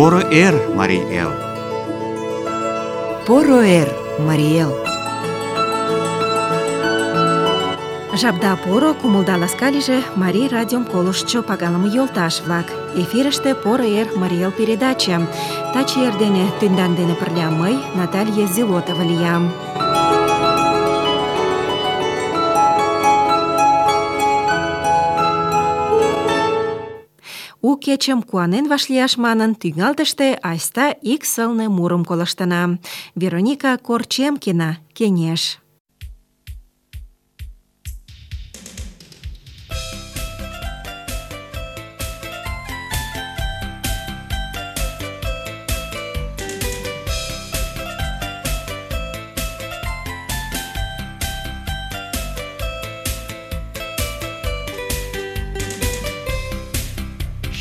Поро эр, Марий Эл! Поро эр, Марий Эл! Жапда поро, кумылда ласка лийже Марий радиом колыштшо пагалыме йолташ-влак. Эфирыште «Поро эр, Марий Эл» передача. Таче эрдене тендан дене пырля мый, Наталья Зелотова, лиям. У кечым куанен вашлияш манын, тӱҥалтыште айста ик сылне мурым колыштына. Вероника Корчемкина, «Кеҥеж».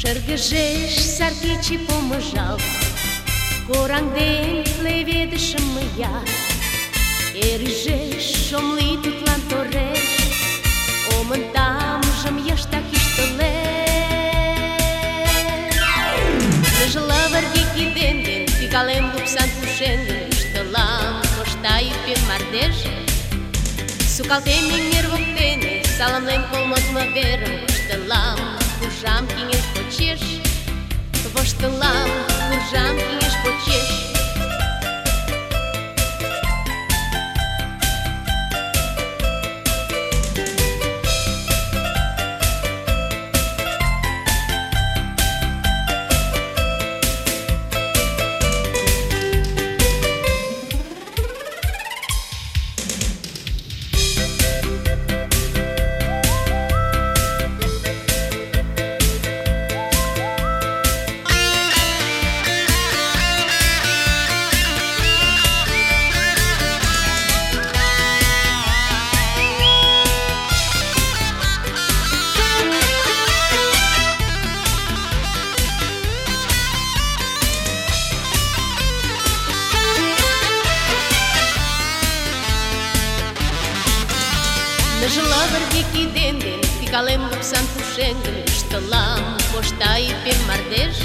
Шыргыжеш сар кече помыжалт, кораҥден леведышым мыят. Эр ӱжеш, ом лий тудлан тореш, омын тамжым йыштак ӱштылеш. Ныжыл лывырге кидем ден тӱкалем лупсан пушеҥгым, ӱштылам кошта йӱкпен мардеж. Сукалтем эҥер воктене, саламлен кол модмо верым, воштылам куржам кеҥеж почеш, воштылам куржам кеҥеж почеш. Ныжыл лывырге кидем ден тӱкалем лупсан пушеҥгым, ӱштылам кошта йӱкпен мардеж.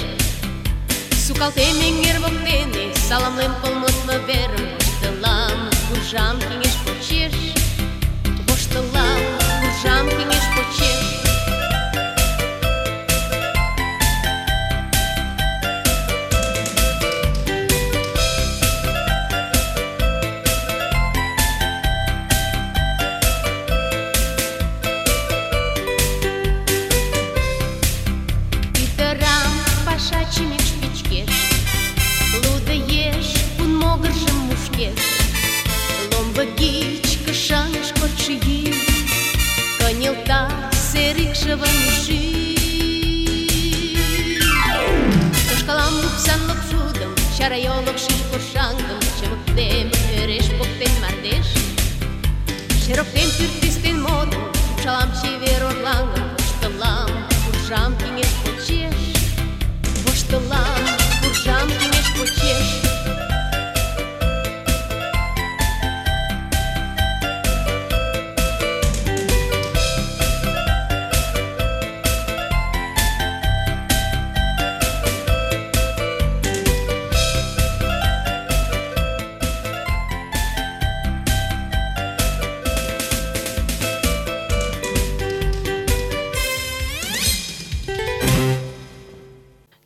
Сукалтем эҥер воктене, саламлем кол модмо верым, воштылам куржам кеҥеж почеш, воштылам куржам кеҥеж почеш. Тошкалам лупсан лопшудым, чарайолок ший коршаҥгым, чымыктем ӧреш поктен мардеж. Шероктем пӱртӱстен модым, упшалам чевер орлаҥым, воштылам куржам кеҥеж почеш, воштылам куржам кеҥеж почеш.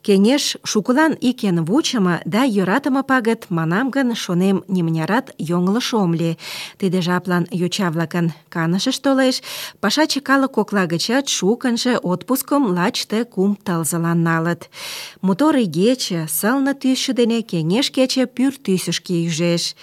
Кеҥеж шукылан ик эн вучымо да йӧратыме пагыт, манам гын, шонем, нимынярат йоҥылыш ом лий. Тиде жаплан йоча-влакын канышышт толеш, пашаче калык кокла гычат шукынжо отпускым лач ты 3 тылзылан налыт. Мотор игече, сылне тӱсшӧ дене кеҥеж кече пӱртӱсышкӧ ӱжеш.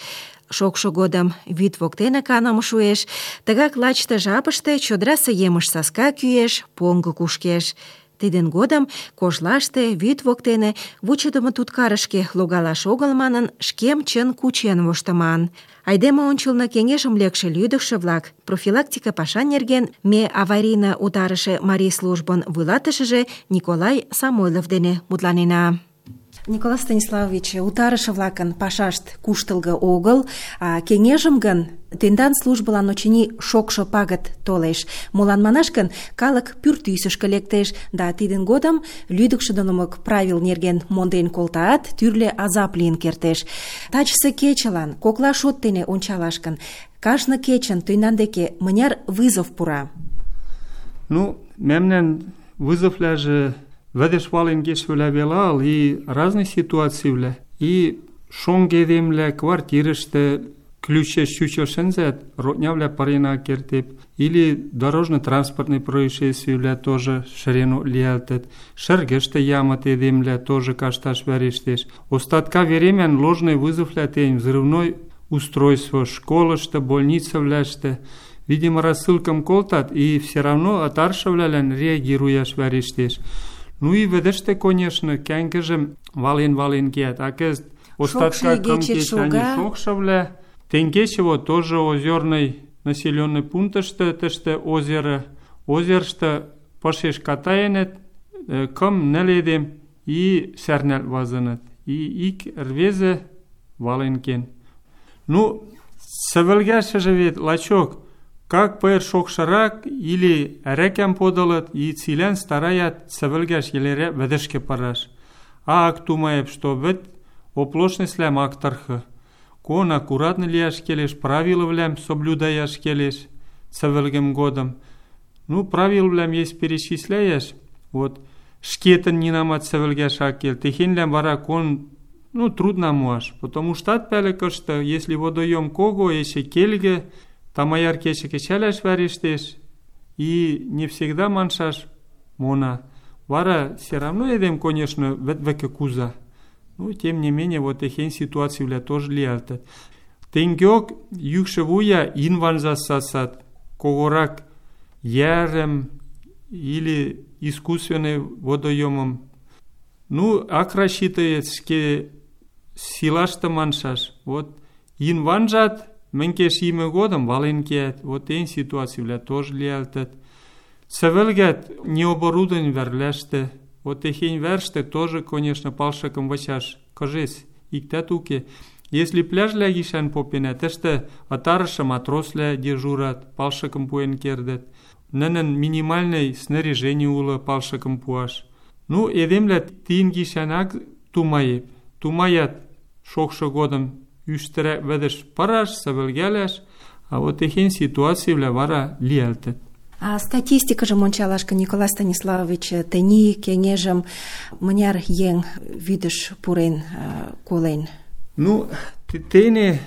Шокшо годым вӱд воктене каныме шуэш, тыгак лач ты жапыште чодырасе емыж саска кӱэш, поҥго кушкеш. Тидын годым кожлаште, вӱд воктене вучыдымо туткарышке логалаш огыл манын, шкем чын кучен воштыман. Айдеме ончылно кеҥежым лекше лӱдыкшӧ-влак, профилактика паша нерген ме аварийно утарыше Марий службын вуйлатышыже Николай Самойлов дене мутланена. Николай Станиславович, утарыше-влакын пашашт куштылго огыл, а кеҥежым гын Тендан службылан, очыни, шокшо пагыт толеш. Молан манаш гын, калык пӱртӱсышкӧ лектеш, да тидын годым лӱдыкшыдымылык правил нерген монден колтаат, тӱрлӧ азап лийын кертеш. Тачысе кечылан кокла шот дене ончалаш гын, кажне кечын тендан деке мыняр вызов пура? Мемнан вызовляже ведеш вален кечвлӓ веле ал, и разный ситуацийвлӓ. И шоҥго эдемвлӓ квартирышты ключеш чучел шӹнзӓт, роднявлӓ пырен ак кердеп, или дорожно-транспортный происшествийвлӓ тоже шӹренок лиӓлтӹт, шӹргӹштӹ ямыт эдемвлӓ тоже кашташ вӓрештеш. Остатка веремӓн ложный вызоввлӓ тень, взрывной устройство школышты, больницывлӓштӹ, видимо, рассылкым колтат, и все равно ытаршывлӓлӓн реагируяш вӓрештеш. И вӹдӹштӹ, конечно, кӓнгӹжӹм вален кеӓт, а кӹзӹт остатка кым кечӓни шокшывлӓ. Тенгече вот тоже озерный населенный пунктышты, тӹштӹ озерышты пышеш катаенӹт, кым нӹл эдем и сӓрнӓлт вазыныт. И ик ӹрвезӹ вален кен. Сӹвӹлгӓшӹжӹ вет лачок, как пыйыр шокшырак или ӓрӓкӓм подылыт, и цилӓн стараят сӹвӹлгӓш йӹлерӓк вӹдӹшкӹ пыраш. Ак тумаеп, что вӹд оплошностьвлӓм ак тырхы. Кон аккуратно лиӓш келеш, правилывлӓм соблюдаяш келеш сӹвӹлгӹм годым. Правилвлӓм есть перечисляяш, вот, шкетын нинамат сӹвӹлгӓш ак кел, техеньлӓм вара кон трудно моаш, потому что ат пӓлӹ кышты, если водоем кого, эче келгӹ, тамаяр кечӹ кечӓлӓш вӓрештеш, и не всегда маншаш мона. Вара все равно эдем, конечно, вӹд вӹкӹ куза. Тем не менее, вот техень ситуациивлӓ тоже лиӓлтӹт. Тенгеок йӱкшӹ вуя инванза сасат, когорак йӓрӹм или искусственный водоемым. Ак рассчитывает ӹшке силашты маншаш. Вот инванжат мӹнькеш йимӹ годым вален кеӓт. Вот тень ситуациивлӓ тоже лиӓлтӹт. Сӹвӹлгӓт необорудованный вӓрвлӓштӹ. Вот техень вӓрштӹ тоже, конечно, палшыкым вычаш кыжес, иктӓт уке. Если пляжвлӓ гишӓн попенӓ, тӹштӹ ытарышы матросвлӓ дежурат, палшыкым пуэн кердӹт. Нӹнӹн минимальный снаряжени улы палшыкым пуаш. Эдемвлӓ тин гишӓн ак тумаеп. Тумаят шокшы годым ӱштӹрӓк вӹдӹш пыраш, сӹвӹлгӓлӓш, а вот техень ситуациивлӓ вара лиӓлтӹт. А статистикыжым ончалаш гын, Николай Станиславович, тӹни кеҥежым мыняр еҥ вӱдӹш пурен, колен? Тене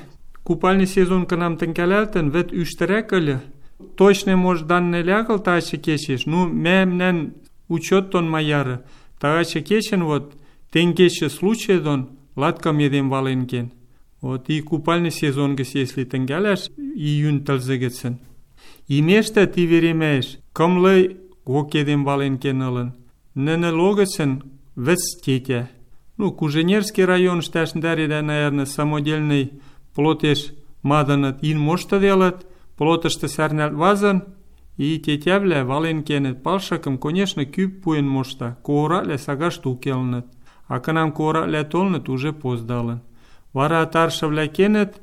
купальный сезон кынам тӹнгӓлӓлтӹн, вӹд ӱштӹрӓк ыльы. Точный, может, данный лягыл тагачы кечеш, мӓмнӓн учет дон маяры. Тагачы кечӹн вот тенгечӹ случай дон латкам эдем вален кен. Вот и купальный сезон гӹц, если тӹнгӓлӓш, июнь тӹлзӹ гӹцӹн. Имештӹ ти веремӓэш кымлы кок эдем вален кен ылын. Нӹнӹ логӹцӹн вӹц тетя. Куженерский районышты ӓшӹндӓредӓ, наверное, самодельный плотеш мадыныт, ин моштыделыт, плотышты сӓрнӓлт вазын, и тетявлӓ вален кенӹт. Палшыкым, конечно, кӱп пуэн мошта, когораквлӓ сагашты укелнӹт, а кынам когораквлӓ толыныт, уже поздалын. Вара ытаршывлӓ кенӹт,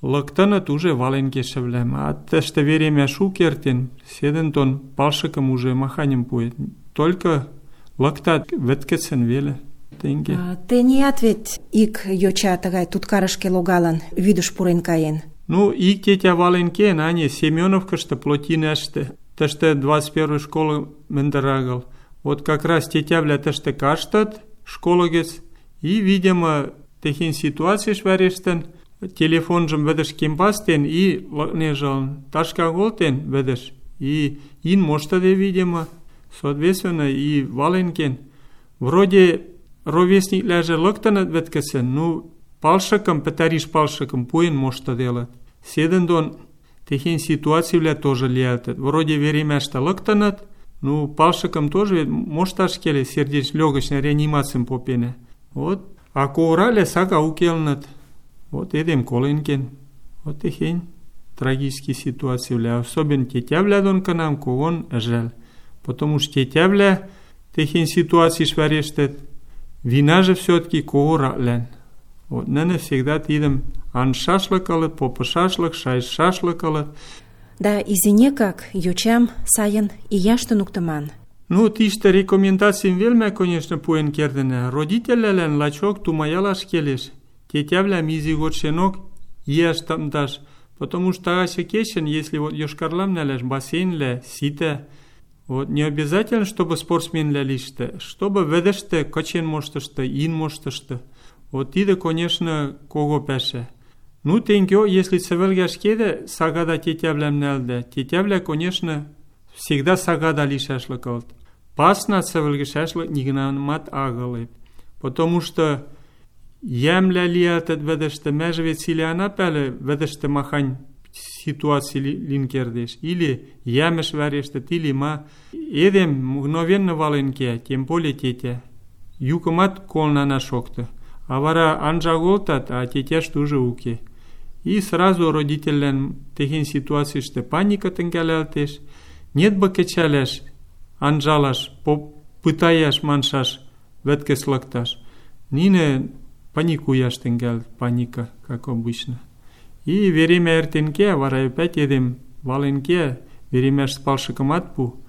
лыктыныт уже вален кешӹвлӓм, а тӹштӹ веремӓш уке эртен, седӹнтон палшыкым уже маханьым пуэт. Только лыктат вӹд гӹцӹн веле. Тӹниӓт вет ик йоча тыгай туткарышке логалын, вӱдӹш пурен каен. Ик тетя вален кен, Семеновкышты, Плотинӓштӹ, тӹштӹ 21 школы мӹндӹр агыл. Вот как раз тетявлӓ тӹштӹ каштыт школы гӹц, и, видимо, техень ситуациш вӓрештӹн, телефонжым вӹдӹш кемпастен и лыкнежылын, ташка колтен вӹдӹш, и ин моштыде, видимо, соответственно, и вален кен. Вроде ровесниклӓжӹ лыктыныт вӹд гӹцӹн, палшыкым, пӹтӓриш палшыкым пуэн моштыделыт. Седӹндон техень ситуациивлӓ тоже лиӓлтӹт. Вроде веремӓштӹ лыктыныт, палшыкым тоже мошташ келеш, сердечно-лёгочный реанимацим попенӓ. Вот, а когораквлӓ сага укелнӹт. Вот эдем колен кен. Вот техень трагический ситуациивлӓ. Особенно тетявлӓ дон кынам когон ӹжӓл. Потому что тетявлӓ техень ситуациш вӓрештӹт, винажы все-таки когораквлӓн. Вот нӹнӹ всегда тидӹм анжшашлык ылыт, попышашлык, шайышашлык ылыт. Да изинекак йочам сайын ияш туныктыман. Ну, тиштӹ рекомендацим велмӓ, конечно, пуэн кердӹнӓ. Родительвлӓлӓн лачок тумаялаш келеш. Тетявлӓм изи годшенок ияш тымдаш. Потому что тагачы кечӹн, если вот Йошкарлам нӓлӓш, бассейнлӓ ситӓ. Вот не обязательно, чтобы спортсменлӓ лиштӹ, чтобы вӹдӹштӹ кычен моштышты, ин моштышты. Вот тидӹ, конечно, кого пӓшӓ. Ну, тенгеок, если цӹвӹлгӓш кедӹ, сагада тетявлӓм нӓлдӓ. Тетявлӓ, конечно, всегда сагада лишӓшлык ылыт. Пасна цӹвӹлгӹшӓшлык нигынамат агылеп. Потому что йӓмлӓ лиӓлтӹт вӹдӹштӹ, мӓжӹ вет цилӓ ана пӓлӹ вӹдӹштӹ махань ситуаци лин кердеш. Или йӓмӹш вӓрештӹт, или ма. Эдем мгновенно вален кеӓ, тем более тетя. Юкымат колнана шокты. А вара анжа колтат, а тетяшты уже уке. И сразу родительлӓн техень ситуацийышты паника тӹнгӓлӓлтеш. Нет бы кӹчӓлӓш, анжалаш, пытаяш маншаш, вӹдкӹс лыкташ. Нинӹ паникуяш тӹнгӓлӹт, паника, как обычно. И веремӓ эртен кеӓ, вара опять эдем вален кеӓ, веремӓш спалшыкымат пу,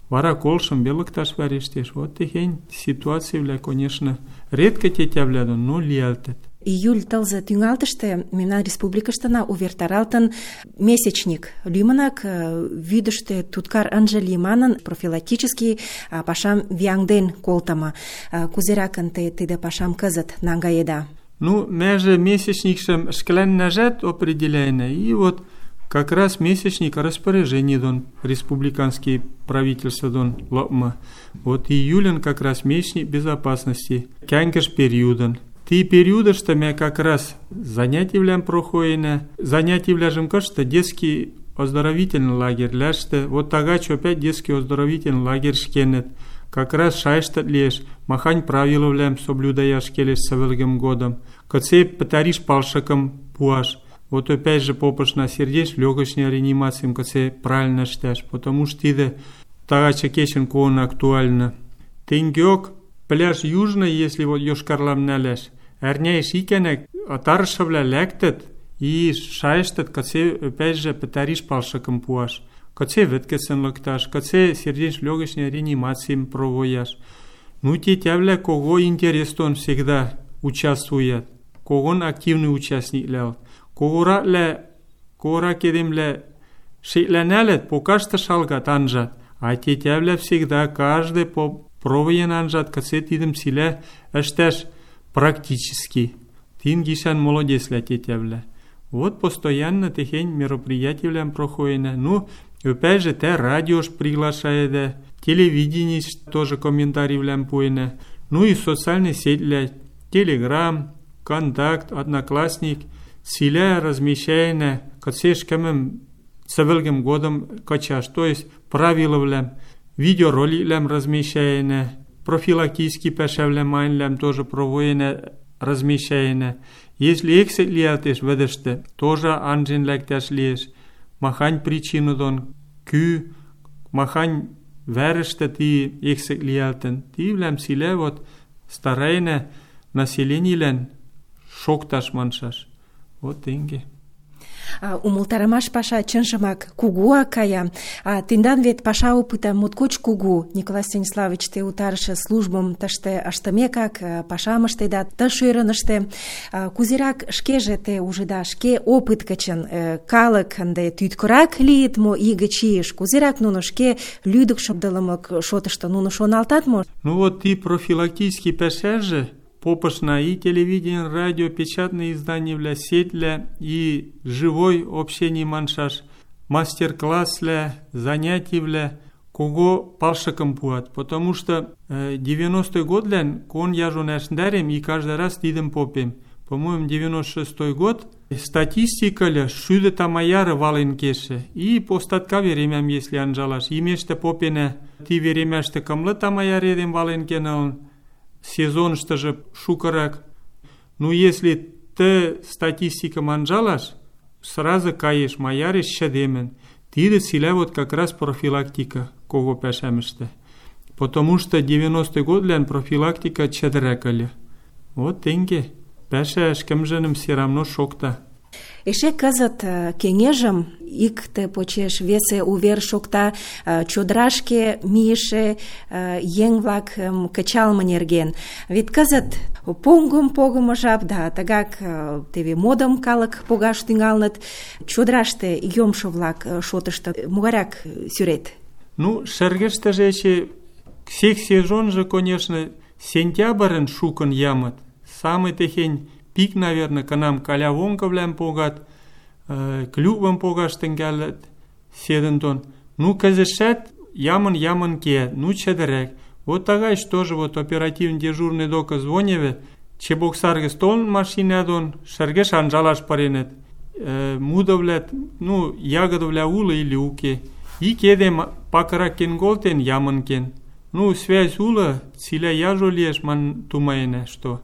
вара колшым вел лыкташ вӓрештеш. Вот техень ситуацивлӓ, конечно, редко тетявлӓ дон, но лиӓлтӹт. Июль тылзы тӱҥалтыште мемнан республикыштына увертаралтын месячник лӱмынак вӱдыштӧ туткар ынже лий манын профилактический пашам вияҥден колтымы. Кузеракын те тиде пашам кызыт наҥгаеда? Ну, мӓжӹ месячникшӹм ӹшкӹлӓннӓжӓт определяйнӓ, и вот как раз месячник распоряжений дон республиканский правительство дон лыкмы. Вот июльын как раз месячник безопасности, кӓнгӹш периодын. Ти периодышты мӓ как раз занятивлӓм проходенӓ. Занятивлӓжӹм кышты детский оздоровительный лагерьлӓштӹ. Вот тагач опять детский оздоровительный лагерь ӹшкенӹт. Как раз шайыштыт лиэш, махань правилывлӓм соблюдаяш келеш сывӹлгӹм годым. Кыце пӹтӓриш палшыкым пуаш. Вот опять же попышна сердечно-лёгочный реанимацим кыце правильно ӹштӓш. Потому что тидӹ тагачы кечӹн когон актуальны. Тенгеок пляж южный, если вот Йошкарлам нӓлӓш, ӓрняэш икӓнӓк тарышывлӓ лӓктӹт и шайыштыт, кыце опять же пӹтӓриш палшыкым пуаш. Кыце вӹдкӹцӹн лыкташ, кыце сердечно-лёгочный реанимацим провояш. Ну, тетявлӓ кого интерес дон всегда участвуят, когон активный участниклӓ ылыт. Когорак эдемлӓ шеклӓнӓлӹт, покашты шалгат, анжат, а тетявлӓ всегда каждый провоен анжат, кыце тидӹм цилӓ ӹштӓш практически. Тин гишӓн молодецлӓ тетявлӓ. Вот постоянно техень мероприятивлӓм проходенӓ. Ну, опять же, тӓ радиош приглашаедӓ, телевиденийш тоже комментаривлӓм пуэнӓ. Ну и социальный сетьлӓ, Телеграм, Контакт, Одноклассник, цилӓ размещаенӓ, кыце ӹшкӹмӹм цӹвӹлгӹм годым кычаш, то есть правилывлӓм, видеороликлӓм размещаенӓ, профилактический пӓшӓвлӓм майнвлӓм тоже провоенӓ, размещаенӓ. Если эксет лиӓлтеш вӹдӹштӹ, тоже анжен лӓктӓш лиэш. Махань причина дон, кӱ, махань вӓрӹштӹ ти эксет лиӓлтӹн. Тивлӓм цилӓ вот стараенӓ населенийлӓн шокташ маншаш. Вот тенге. Умылтарымаш паша чынжымак кугуак кая. Тендан вет паша опыта моткоч кугу. Николай Станиславович, те утарышы службым тыште ыштымекак пашам ыштеда, ты шӧрыныште. Кузерак шкеже те ужыда, шке опыт гычын калык ынде тӱткырак лийыт мо ий гыч ийыш? Кузерак нуно шке лӱдыкшыдылымык шотышто нуно шоналтат мо? Ну вот ти профилактический пӓшӓжӹ попышна и телевидение, радио, печатные изданивлӓ, сетьлӓ и живой общений маншаш, мастер-класслӓ, занятивлӓ, кого палшыкым пуат. Потому что 90-й годвлӓн кон яжон ӓшдӓрем и каждый раз тидӹм попем. По-моему, 96-й год статистикылы шӱдӹ тамаяры вален кешӹ. И по статка веремӓм, если анжалаш, имештӹ попенӓ, ти веремӓштӹ кымлы тамаяр эдем вален кен ылын, сезонштыжы шукырак. Ну, если ты статистикам анжалаш, сразу каеш, маяреш шӹдемӹн. Тидӹ цилӓ вот как раз профилактика кого пӓшӓмӹштӹ. Потому что 90-й годвлӓн профилактика чӹдӹрӓк ыльы. Вот тенге. пӓшӓ ӹшкӹмжӹным все равно шокта. Эше кызыт кеҥежым икте почеш весе увер шокта чодырашке мийыше еҥ-влакым кычалме нерген. Вет кызыт поҥгым погымо жап да тыгак теве модым калык погаш тӱҥалыныт. Чодыраште йомшо-влак шотышто могайрак сӱрет? Ну, шӹргӹштӹжӹ эче всех сезонжы, конечно, сентябрьын шукын ямыт. Самый техень пик, наверное, кынам калявонгывлӓм погат, клювым погаш тӹнгӓлӹт седӹн дон. Ну, кӹзӹтшӓт ямын кеӓт, ну, чӹдӹрӓк. Вот тагайш тоже вот оперативный дежурный докы звоневӹ, Чебоксар гӹц толын машина дон, шӹргӹш анжалаш пыренӹт. Мудывлӓ, ну, ягодывлӓ улы или уке. Ик эдем пакырак кен колтен, ямын кен. Ну, связь улы, цилӓ яжо лиэш ман тумаенӓ, что...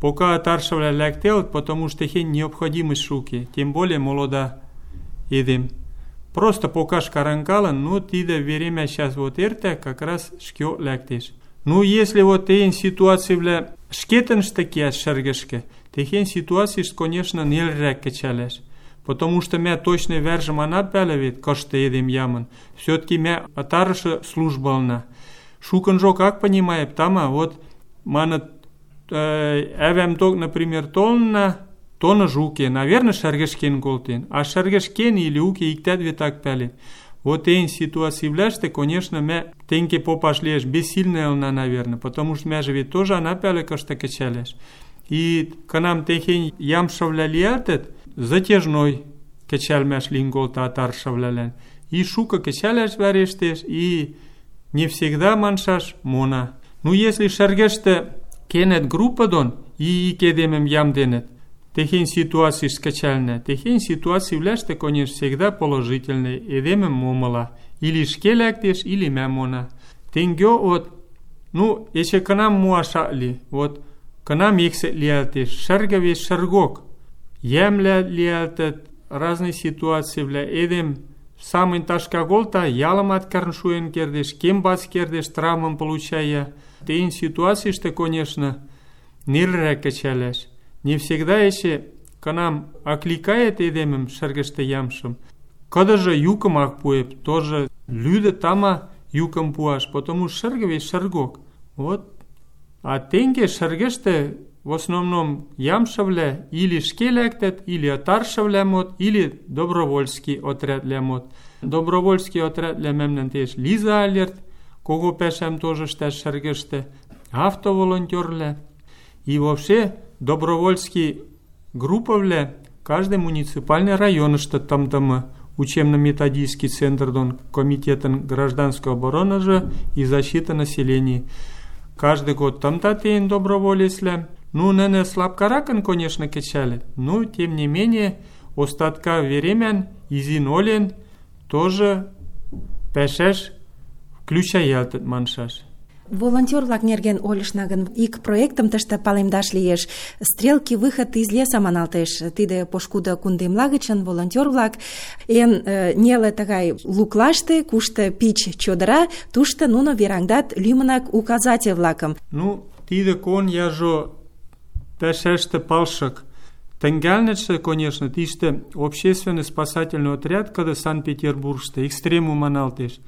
Пока таршывлӓ лӓктелыт, потому что техень необходимость уке, тем более молода эдем. Просто покаш каранкалын, ну, тидӹ веремӓ сейчас вот эртӓ, как раз ӹшкеок лӓктеш. Ну, если вот техень ситуацивлӓ ӹшкетӹнштӹ кеӓш шӹргӹшкӹ, техень ситуациш, конечно, нелӹрӓк кӹчӓлӓш. Потому что мӓ точный вӓржӹм ана пӓлӹ вет, кышты эдем ямын. Все-таки мӓ ытарышы служба ылна. Шукынжок ак понимаеп, тама, вот, маныт, ӓвӓм ток, например, толынна, тоныжы уке, наверное, шӓргӹшкен колтен. А шӓргӹшкен или уке, иктӓт вет ак пӓлет. Вот эйн ситуацивлӓштӹ, конечно, мӓ тенге попаш лиэш бессильный ылна, наверное, потому что мӓжӹ вет тоже ана пӓлӹ кышты кӹчӓлӓш. И кынам техень ямшывлӓ лиӓлтӹт, затяжной кӹчӓлмӓш лин колта таршывлӓлӓн. И шукы кӹчӓлӓш вӓрештеш, и не всегда маншаш мона. Ну, если шӓргӹштӹ кенет группа дон и ик эдемӹм ямденӹт, техень ситуациш кычалнӓ. Техень ситуацивлӓштӹ, конечно, всегда положительный, эдемӹм момыла. Или ӹшке лӓктеш, или мӓ мона. Тенгё вот, ну, эче кынам муаш ак ли. Вот, кынам эксет лиӓлтеш, шӹргӹ вет шӹргок. Йӓмлӓ лиӓлтӹт, разный ситуацивлӓ, эдем самынь ташка колта, ялымат кӓрн шуэн кердеш, кембац кердеш, травмым получая. Тейн ситуациштӹ, конечно, нелӹрӓк кӹчӓлӓш. Не всегда эче, кынам акликает эдемӹм шӹргӹштӹ ямшым, кыдыжы юкым ак пуэп, тоже лӱдӹ тама юкым пуаш, потому шӹргӹ вет шӹргок. Вот. А тенге шӹргӹштӹ в основном ямшывлӓ или ӹшке лӓктӹт, или ытаршывлӓ мот, или добровольский отрядвлӓ мот. Добровольский отрядвлӓ мӓмнӓн теш Лиза Алерт, кого пӓшӓм тоже ӹштӓш шӹргӹштӹ, автоволонтёрвлӓ. И вообще добровольский группавлӓ каждый муниципальный районышты тымдымы, учебно-методический центр дон комитетын гражданской обороныжы и защиты населения. Каждый год тымта тейн доброволецлӓ. Ну, нӹнӹ слабкаракын, конечно, кӹчӓлӹт, но, тем не менее, остатка веремӓн, изин олен, тоже пӓшӓш включаялтыт маншаш. Волонтёр-влак нерген ойлышна гын, ик проектым тыште палемдаш лиеш. «Стрелки выход из леса» маналтеш. Тиде пошкудо кундемла гычын волонтёр-влак эн неле тагай луклаште, кушто пич чодыра, тушто нуно вераҥдат лӱмынак указатель-влакым. Ну, тиде кон яжо пӓшӓштӹ палшык. Тӹнгӓлнӹшӹ, конечно, тиштӹ общественный спасательный отряд, кыды Санкт-Петербургштӹ, экстремум маналтеш.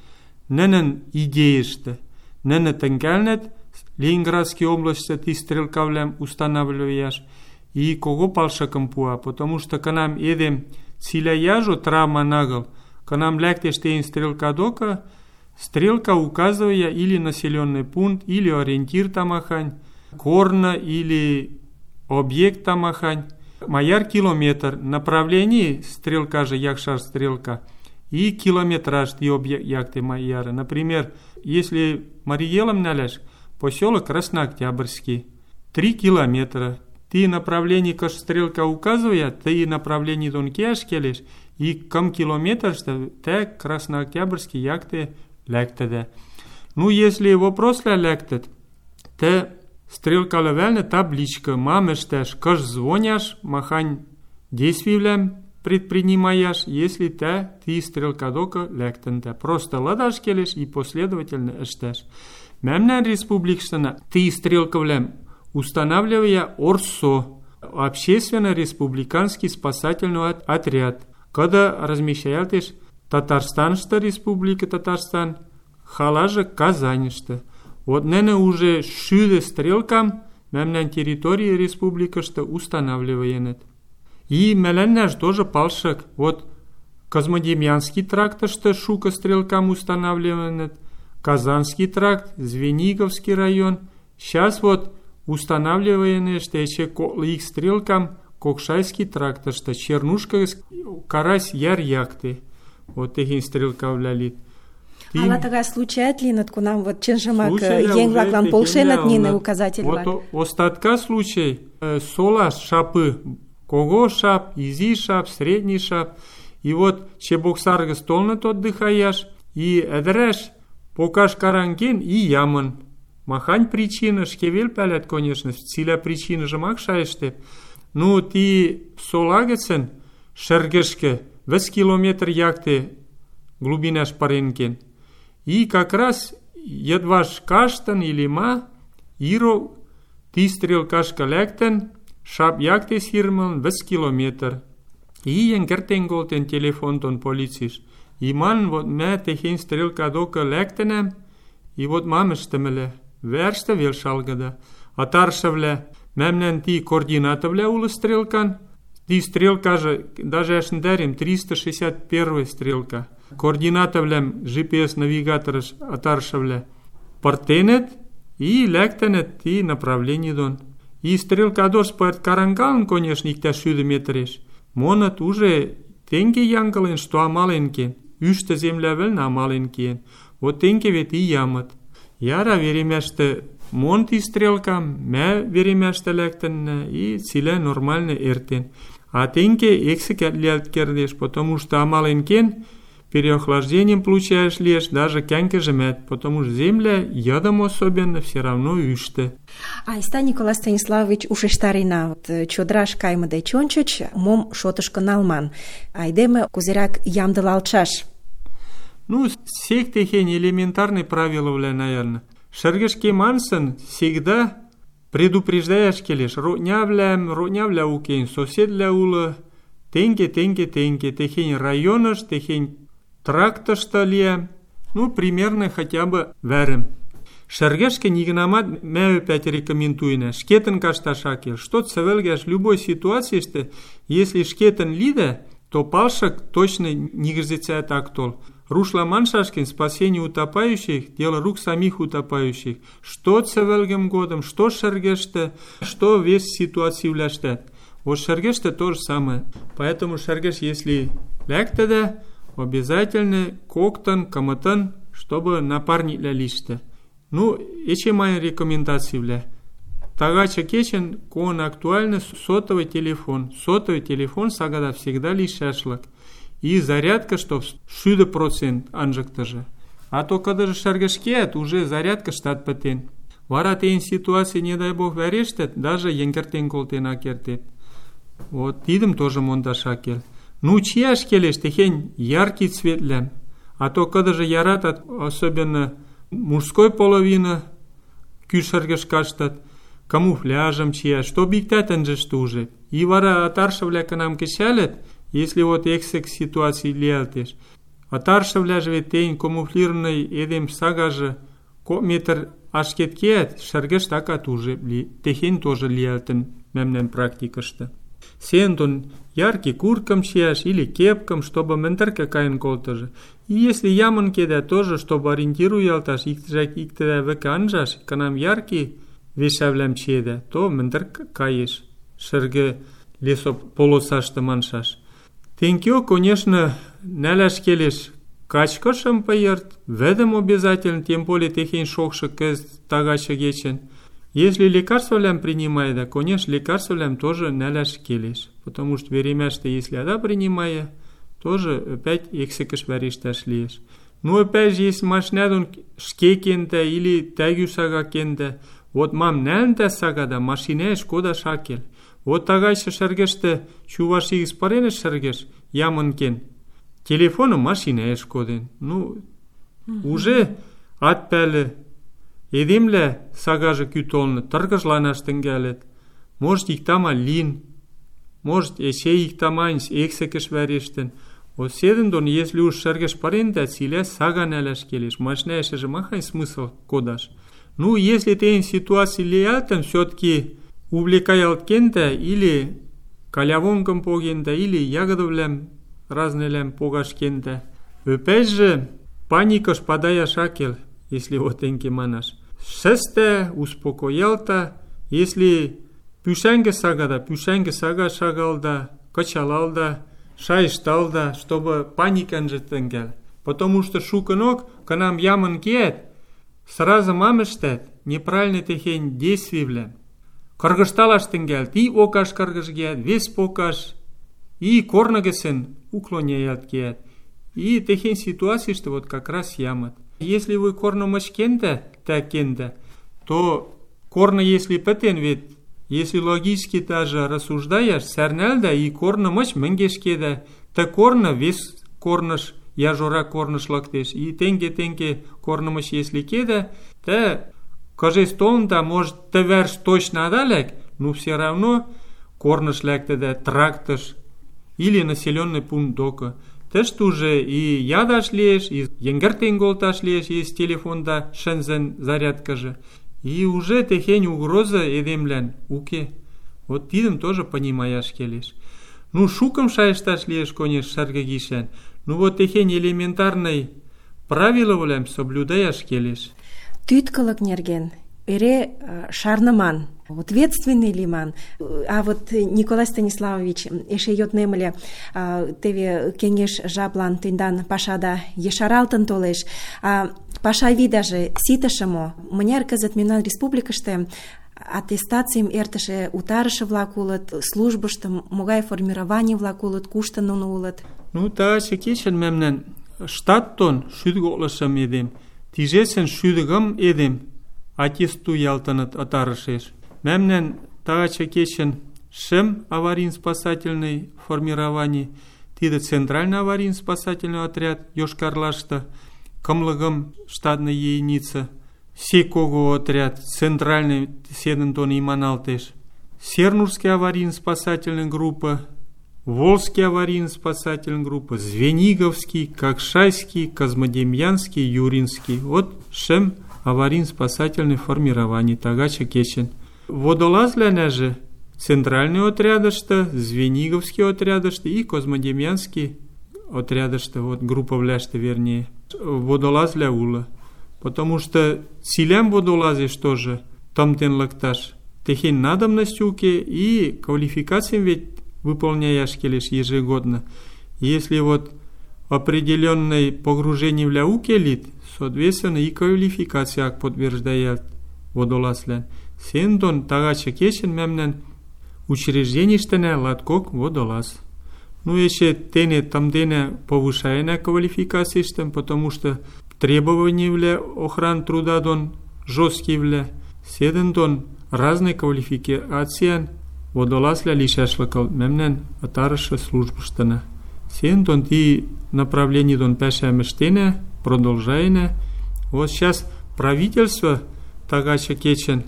Нӹнӹн идейӹштӹ. Нӹнӹ тӹнгӓлнӹт Ленинградский областьы ти стрелкавлӓм устанавливаяш и кого палшыкым пуа, потому что кынам эдем цилӓ яжо травман агыл, кынам лӓктеш тейн стрелка докы, стрелка указывая или населенный пункт, или ориентир тамахань, корны или объект тамахань, маяр километр, направление стрелка же якшар стрелка, и километраж ти объект якты маяры. Например, если Мариелом наляж, поселок Краснооктябрьский, 3 километра. Ты направление каш стрелка указывает, ты направление дон кеаш келеш, и кам километр, что те Краснооктябрьский якты лектеде. Ну, если вопрос лектет, те стрелка левельна табличка, мамештеш, каш звоняш, махань действиевлем предпринимаешь, если ты стрелка дока лектенте. Просто ладаш келеш и последовательно эштеш. Мемнен республикштана ты стрелковлем устанавливая орсо. общественно-республиканский спасательный отряд. Когда размещаялтеш Татарстаншта, Республика Татарстан, халажа Казаньшта. Вот нене уже шüде стрелкам мемнен территории республикашта устанавливаенет. И меленнеш тоже палшык. Вот Козмодемьянский трактышта шука стрелкам устанавливаенет, Казанский тракт, Звениговский район. Сейчас вот устанавливаенешта еще их стрелкам Кокшайский трактышта, Чернушка, Карась, Яр, Якты. Вот техин стрелка влялит. Ала тагай случаят линат кунам вот чынжымак еҥ-влаклан полшенат нине указатель-влак? Вот остатка случай сола шапы, кого шап, изи шап, средний шап. И вот чебоксаргы столнат отдыхаяш, и эдереш покаш каранген и ямын. Махань причина, шкевел пялят, конечно, циля причина же мак шайштеп. Ну, ти солагецен шергешке 2 километр якты глубинаш паренкен. И как раз едваш каштан или ма, иро ти стрелкашка лектен, шап якте сирман 2 километр. И енгертен голтен телефон тон полициш. И ман вот ме техин стрелка дока лектенем, и вот мамештемеле, верште велшалгада. А таршевле, мемнен ти координатовле ула стрелкан, ти стрелка же, даже ашндарим, 361 стрелка. Координатовлем GPS-навигаторыш атаршевле партенет и лектенет ти направление дон. И стрелка дош пает карангалн, конечно, их тяшюды метреш. Монат уже тенге янгален, что амаленкен. Üşte землявел на амаленкен. Вот тенге вет и ямат. Яра веремяште монти стрелкам, мя веремяште лектенне и циле нормально эртен. А тенге эксекет лялт кердеш, потому что амаленкен переохлаждением получаешь лишь даже кянке жмет, потому что земля ядом особенно все равно üşte. Айста Николай Станиславович ушештарина, чодраш каймыде чончыч, мом шотышко налман. Айдеме кузерак ямдылалтшаш. Ну, всех техень элементарные правила, наверное. Шергешке мансын всегда предупреждаешь келеш. Роднявля укейн, соседля ула, тенге, техень районыш, техень трактышта лия, ну, примерно хотя бы верим. Шергешке нигнамат мя опять рекомендуйне. Шкетен кашта шакел. Что цевелгеш любой ситуации, что если шкетен лиде, то палшак точно нигрзецает актол. Рушла маншашкин спасение утопающих, дело рук самих утопающих. Что цевелгем годом, что шергеште, что весь ситуации вляштет. Вот шергеште то же самое. Поэтому шергеш, если лектеде, обязательно коктан, каматан, чтобы напарник лялиште. Ну, эче моя рекомендация вля. Тагача кечен, кон актуально сотовый телефон. Сотовый телефон сагада всегда лишашлак. И зарядка, что 100% анжакта же. А то, когда же шаргашкет, уже зарядка штат патен. Вара тейн ситуации, не дай бог, верештет, даже енгертен колтен акертет. Вот, идем тоже мондашакел. Ну, чьяш келеш, техень яркий цвет лям. А то, когда же ярат, особенно мужской половины, кюшаргашкаштат, камуфляжем чья, что биктатен же что уже. И вара атаршавля к нам кешалет, если вот эксек ситуации лиалтеш. Атаршавля же тень камуфлированный эдем сагаже, метр ашкеткет, шаргаш такат уже, техень тоже лиалтен, мемнен практикашта. Сентон яркий курткам чьяш или кепкам, чтобы ментер какая-нибудь колтаже. И если яман кеда тоже, чтобы ориентируялташ, их тогда веканжаш, к нам яркий вешавлям чеда, то ментер каеш, шерге лесо полосашта маншаш. Тенкио, конечно, наляш келеш качкашам поерт, ведем обязательно, тем более техень шокша кез тагача гечен. Если лекарство лям принимает, да, конечно, лекарство лям тоже наляш келеш. Потому что время, что если ада принимая, тоже опять эксекаш варишташ лиеш. Ну, опять же, если машинадун шкекенда или тагюсага кенда, вот мам нянда сагада, машине шкода шакел. Вот тагайша шаргеште чуваши испаренеш шаргеш, яманкен. Телефону машине шкоден. Ну, уже отпяле. Едимле сагажы күтолны, тыргыжланаштын гәлет. может иктама лин, может эше иктаманс эксекеш вӓрештӹн. Вот седӹн дон, если уж шӹргӹш пырендӓ, цилӓ сага нӓлӓш келеш. Машна эшеже махань смысл кодаш. Ну, если тейн ситуаций лиӓлтӹн, всё-таки увлекаялт кендӓ, или калявонгым погендӓ, или ягодывлӓм разнылям погаш кендӓ. Ӧпӓшжӹ паникыш падаяш ак кел, если вот тенке манаш. Шӹстӓ, успокоялта, если пӱшӓнгӹ сага шагалда, кычалалда, шайышталда, чтобы паника ӹнжӹ тӹнгӓл. Потому что шукынок, кынам ямын кеӓт, сразу мам ӹштӓт? Неправильный техень действийвлӓм. Кыргыжталаш тӹнгӓлт, и окаш кыргыжгеӓт, вес покаш, и корны гӹцӹн уклоняялт кеӓт. И техень ситуацийышты вот как раз ямыт. Если вы корны мыч кендӓ, то корны если пӹтен, вет если логически даже рассуждаяш, сӓрнӓлдӓ и корны мыч мӹнгеш кедӓ, ты корны вес корныш, яжорак корныш лыктеш. И тенге корны мыч если кедӓ, тӓ кыжес толында, может, ты вӓрш точно ада лӓк, но все равно корныш лӓктӹдӓ, трактыш или населенный пункт докы. Тӹштӹ уже и ядаш лиэш, и йӹнгӹртен колташ лиэш, если телефонда шӹнзӹн зарядкыжы. И уже техень угроза эдемлӓн уке. Вот тидӹм тоже понимаяш келеш. Ну, шукым шайышташ лиэш, конечно, шӓргӹ гишӓн. Ну, вот техень элементарный правилывлӓм соблюдаяш келеш. Тӱткылык нерген эре шарныман, ответственный лиман. А вот Николай Станиславович эше йоднем ыле, теве кеҥеж жаплан тендан пашада ешаралтын толеш. Паша видаже ситыше мо? Мыняр кызыт мемнан республикыште аттестацийым эртыше утарыше-влак улыт, службышты могай формирований-влак улыт, кушто нуно улыт? Ну, тагачы кечӹн мӓмнӓн штаттон 150 эдем, тижесӹн 100 эдем аттестуялтыныт ытарышеш. Мӓмнӓн тагачы кечӹн 5 аварийно-спасательный формировани, тидӹ центральный аварийно-спасательный отряд Йошкар-Олашты, 50 штатный единица, Секого отряд, центральный седӹн дон иманалтеш, Сернурский аварийно-спасательный группа, Волжский аварийно-спасательный группа, Звениговский, Кокшайский, Козмодемьянский, Юринский. Вот 5 аварийно-спасательный формирование тагачы кечӹн. Водолазвлӓнӓжӹ центральный отрядышты, Звениговский отрядышты и Козмодемьянский отрядышты, вот группавлӓштӹ вернее, водолазвлӓ улы. Потому что цилям водолазеш тоже тымтен лыкташ техень надобность уке, и квалификациям ведь выполняяш келеш ежегодно. Если вот определенное погружение вля уке лит, соответственно и квалификация подтверждает водолазлен. Сендон тагачы кечен мемнен учреждеништене латкок водолаз. Ну еще тене тамдене повышаена квалификациштем, потому что требования вля охран труда дон жесткие вля. Седен дон разные квалификациям водолазля лишашлыкал мемнен атарышы службыштына. Сен дон ти направление дон пӓшӓмӹштенӓ, продолжайнӓ. Вот сейчас правительство тагачы кечен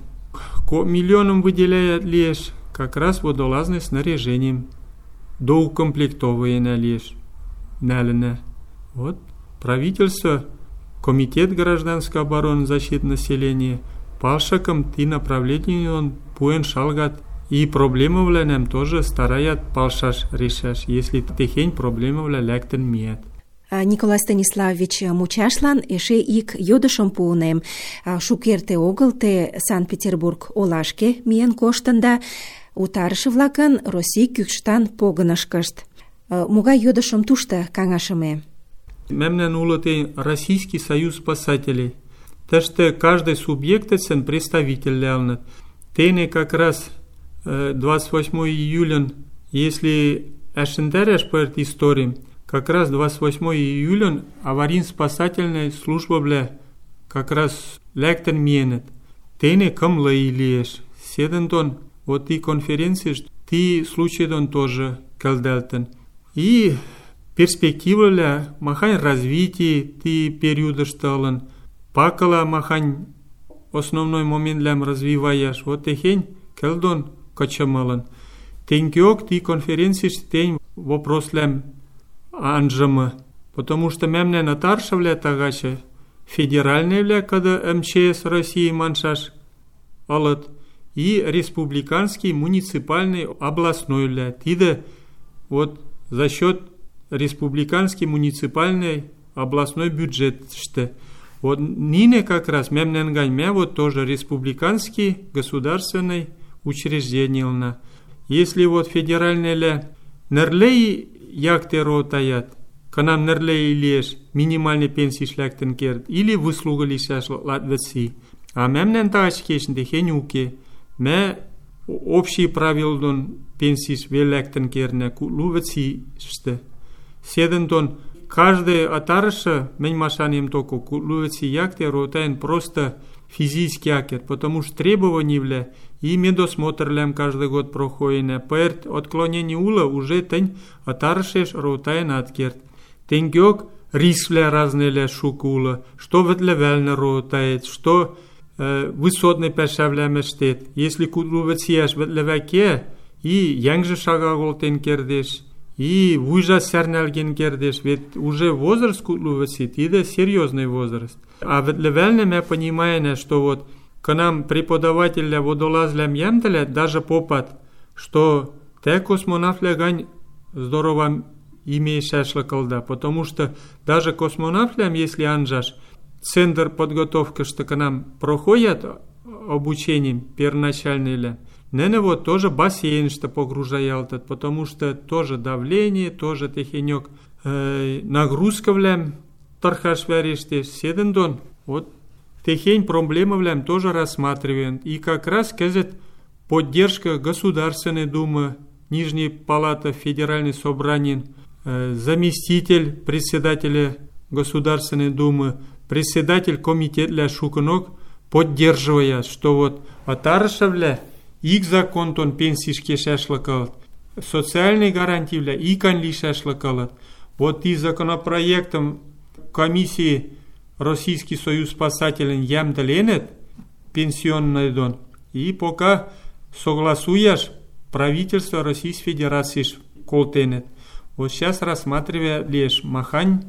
миллионом выделяет лишь как раз водолазным снаряжением. Доукомплектовываенӓ лишь нӓлӹнӓ. Вот правительство, комитет гражданской обороны и защиты населения палшыкым ти направление он пуэн шалгат. И проблемывлӓнӓм тоже стараят палшаш решаш, если техень проблемывлӓ лӓктӹн миӓт. Николай Станиславович, мучашлан эше ик йодышым пуынем. Шукерте огыл те Санкт-Петербург олашке миен коштында, утарышы-влакын Россий кӱкштан погынышкышт. Могай йодышым тушто каҥашыме? Мемнӓн улы те Российский союз спасателей. Тӹштӹ каждый субъектӹцӹн представитель лявныт. Тене как раз 28 июлен, если ӓшӹндӓрӓш пырт историм, как раз 28 июлен аварийно-спасательная службавлӓ как раз лӓктӹн миэнӹт. Тене 50 и лиэш. Седӹн дон вот ти конференцийш ти случай дон тоже кӹлдӓлтӹн. И перспективывлӓ махань развитие ти периодышты ылын, пакыла махань основной моментлӓм развиваяш. Вот техень кӹл дон кычымылын. Тенгеок ти конференцийыште тень вопрослям анжымы, потому что мемнен ытаршывлӓ тагачы федеральныйвлӓ, кыды МЧС России маншаш ылыт, и республиканский, муниципальный, областнойвлӓ. Тиде вот за счет республиканский, муниципальный, областной бюджетшты. Вот нине как раз мемнен гань мя вот тоже республиканский, государственный учреждение. Если вот федеральные нерлей якте ротаят, к нам нерлей леш минимальный пенсий шляктен керт, или выслуга лишаш латвеси. А мемнен тачкешн дехенюке, мя общие правила пенсий веляктен керне кутлувеси ште. Седентон каждый отарыша, мен машанием только кутлувеси якте ротаен просто физически акет, потому что требования вля и медосмотрлям каждый год проходит. Перед отклонением ула уже тень отаршеш ротаен откерт. Тенгёк рисвля разные ля шукула, что ветлевельно ротает, что высотный пешавля мештет. Если кутлувецияш ветлеваке и янгже шагагол тенкердеш, и вуйжа сярнялген кердеш, ведь уже возраст кутлувецит, и да серьезный возраст. А ветлевельно мы понимаем, что вот к нам преподавателя водолазлям ямтеля даже попад, что те космонавтля гань здорово имеешь шашлыкалда, потому что даже космонавтлям, если анжаш, центр подготовки, что к нам проходят обучением первоначальное, нене вот тоже бассейн, что погружает, потому что тоже давление, тоже техенек нагрузка влям, тархаш вярештеш, седендон, вот техень проблемы влям тоже рассматриваем. И как раз, скажет, поддержка Государственной Думы, Нижней Палаты Федеральной Собрания, заместитель председателя Государственной Думы, председатель комитета для шуканок поддерживая, что вот отаршавля их закон тон пенсийский шашлыкалат, социальные гарантии вля и канли шашлыкалат. Вот и законопроектом комиссии Российский союз спасателей ямдаленет пенсионный дон. И пока согласуешь, правительство Российской Федерации колтенет. Вот сейчас рассматривая лишь махань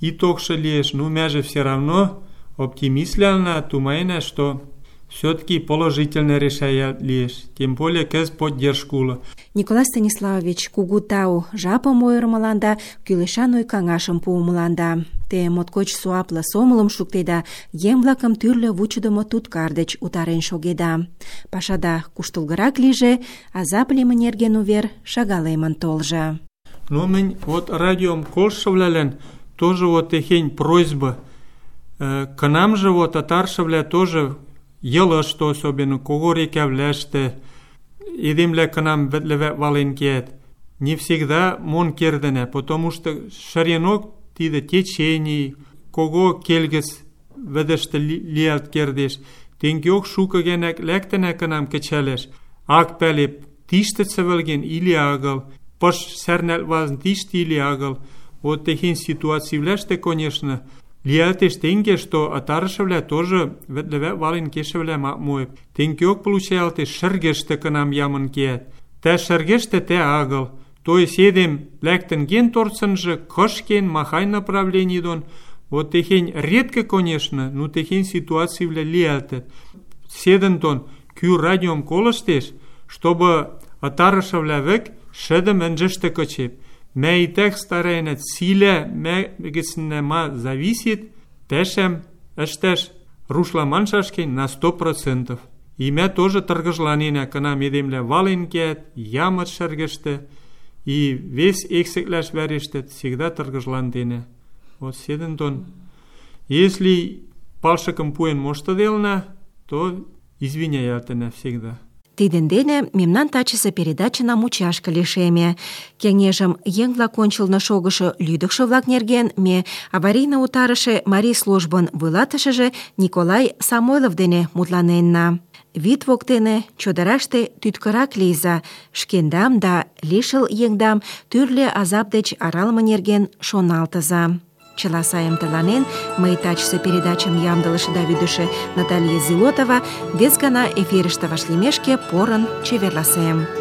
и токша лишь, ну мяже все равно оптимистляна тумайна, что все-таки положительно решает лишь, тем более кез поддержкула. Николай Станиславович кугу тау жапым ойырмыланда, кӱлешан ой-каҥашым пуымыланда. Те моткоч суапле сомылым шуктеда, еҥ-влакым тӱрлӧ вучыдымо туткар деч утарен шогеда. Пашада куштылгырак лийже, азап лийме нерген увер шагалемын толжо. Ну, мен вот радиом колшавлялен тоже вот техень просьба. К нам же вот атаршавля тоже ела, что особенно когорекявляште, идемля к нам ветлеве валенкет. Не всегда мон кердене, потому что шаренок тиде течений, кого кельгес ведеште лият кердеш, тенгеок шукагенек лектене к нам качалеш, ак пелеп тиштеце велген или агал, пош сернел вазн тишти или агал. Вот такие ситуации вляште, конечно, лиятеш тенге, что атаршавля тоже ветлеве валенкешавля мой. Тенгеок получалте шергеште к нам яманкет. Те шергеште те агал. То есть едем лектенген торценже, кошкен, махай направлений дон. Вот техень редко, конечно, но техень ситуации влияет. Седен тон, кю радиом колоштеш, чтобы атарашавля век шедем энжеште кочеп. Ме и тех старайнет силе, ме геснема зависит, тешем, эштеш, рушла маншашкен на 100%. И ме тоже торгожланина, к нам едемля валенкет, ямат шергеште, и весь эксекляш верештет всегда торгожландине. Вот седен тон. Если палшаком пуэн моштаделна, то извиняйте навсегда. Тиден дене мемнан тачысе передачына мучашке лишеме. Кеҥежым еҥ-влак ончылно шогышо лӱдыкшӧ-влак нерген ме аварийно утарыше марий службын вуйлатышыже Николай Самойлов дене мутланенна. Вӱд воктене чодыраште тӱткырак лийза, шкендам да лишыл еҥдам тӱрлӧ азап деч аралыме нерген шоналтыза. Чыла сайым тыланен, мый тачысе передачым ямдылыше да вӱдышӧ Наталья Зилотова вес гана эфирыште вашлиймешке порын чеверласем.